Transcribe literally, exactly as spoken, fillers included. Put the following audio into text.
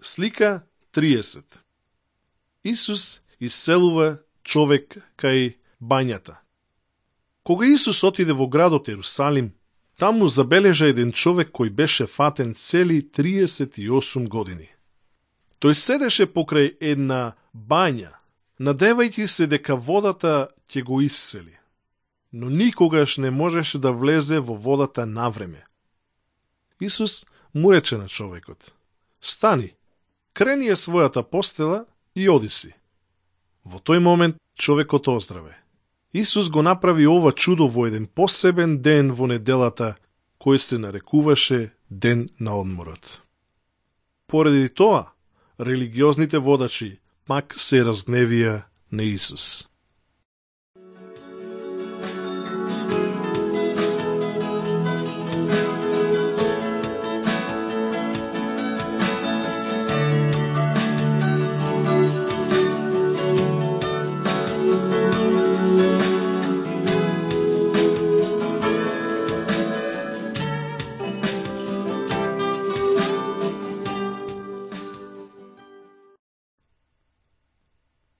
Слика триесет. Исус исцелува човек кај бањата. Кога Исус отиде во градот Ерусалим, таму забележа еден човек кој беше фатен цели триесет и осум години. Тој седеше покрај една бања, надевајќи се дека водата ќе го исцели, но никогаш не можеше да влезе во водата навреме. Исус му рече на човекот: стани, крени ја својата постела и оди си. Во тој момент човекот оздраве. Исус го направи ова чудо во еден посебен ден во неделата, кој се нарекуваше Ден на одморот. Поради тоа, религиозните водачи пак се разгневија на Исус.